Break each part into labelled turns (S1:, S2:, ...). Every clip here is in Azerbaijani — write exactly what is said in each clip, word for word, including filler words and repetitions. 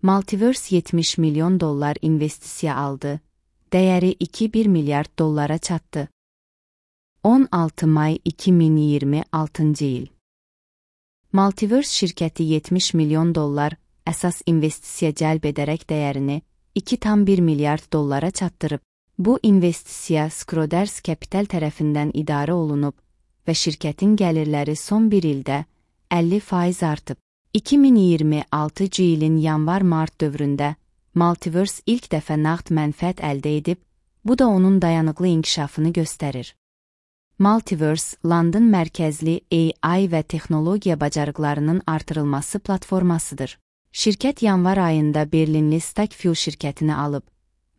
S1: Multiverse yetmiş milyon dollar investisiya aldı. Dəyəri iki nöqtə bir milyard dollara çatdı. on altı may iki min iyirmi altıncı il. Multiverse şirkəti yetmiş milyon dollar əsas investisiya cəlb edərək dəyərini iki nöqtə bir milyard dollara çatdırıb. Bu investisiya Schroders Capital tərəfindən idarə olunub və şirkətin gəlirləri son bir ildə əlli faiz artıb. iki min iyirmi altıncı ilin yanvar-mart dövründə Multiverse ilk dəfə nağd mənfəət əldə edib, bu da onun dayanıqlı inkişafını göstərir. Multiverse, London mərkəzli A I və texnologiya bacarıqlarının artırılması platformasıdır. Şirkət yanvar ayında Berlinli Stackfuel şirkətini alıb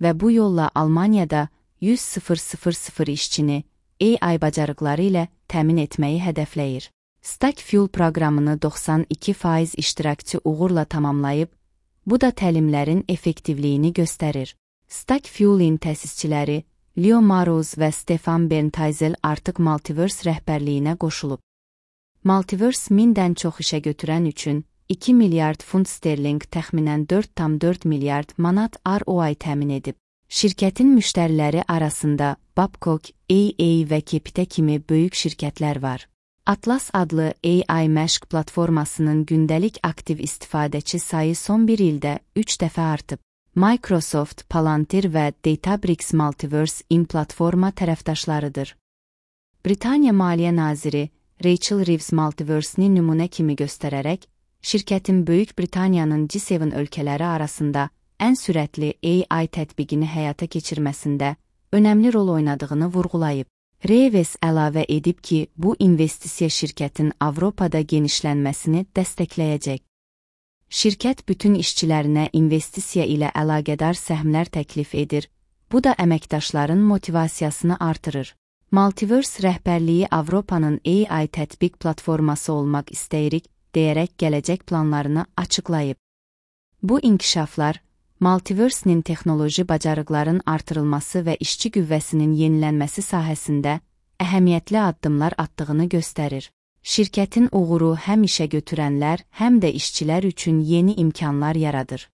S1: və bu yolla Almaniyada yüz min işçini A I bacarıqları ilə təmin etməyi hədəfləyir. Stackfuel proqramını doxsan iki faiz iştirakçı uğurla tamamlayıb, bu da təlimlərin effektivliyini göstərir. Stackfuel'in təsisçiləri Leo Maroz və Stefan Berntazel artıq Multiverse rəhbərliyinə qoşulub. Multiverse mindən çox işə götürən üçün iki milyard funt sterling təxminən dörd nöqtə dörd milyard manat R O I təmin edib. Şirkətin müştəriləri arasında Babcock, A A və Kepite kimi böyük şirkətlər var. Atlas adlı A I məşq platformasının gündəlik aktiv istifadəçi sayı son bir ildə üç dəfə artıb. Microsoft, Palantir və Databricks Multiverse-in platforma tərəfdaşlarıdır. Britaniya Maliyyə Naziri Rachel Reeves Multiverse-ni nümunə kimi göstərərək, şirkətin Böyük Britaniyanın G yeddi ölkələri arasında ən sürətli A I tətbiqini həyata keçirməsində önəmli rol oynadığını vurğulayıb. Reeves əlavə edib ki, bu investisiya şirkətin Avropada genişlənməsini dəstəkləyəcək. Şirkət bütün işçilərinə investisiya ilə əlaqədar səhmlər təklif edir, bu da əməkdaşların motivasiyasını artırır. Multiverse rəhbərliyi Avropanın A I tətbiq platforması olmaq istəyirik, deyərək gələcək planlarını açıqlayıb. Bu inkişaflar, Multiverse-nin texnoloji bacarıqların artırılması və işçi qüvvəsinin yenilənməsi sahəsində əhəmiyyətli addımlar atdığını göstərir. Şirkətin uğuru həm işə götürənlər, həm də işçilər üçün yeni imkanlar yaradır.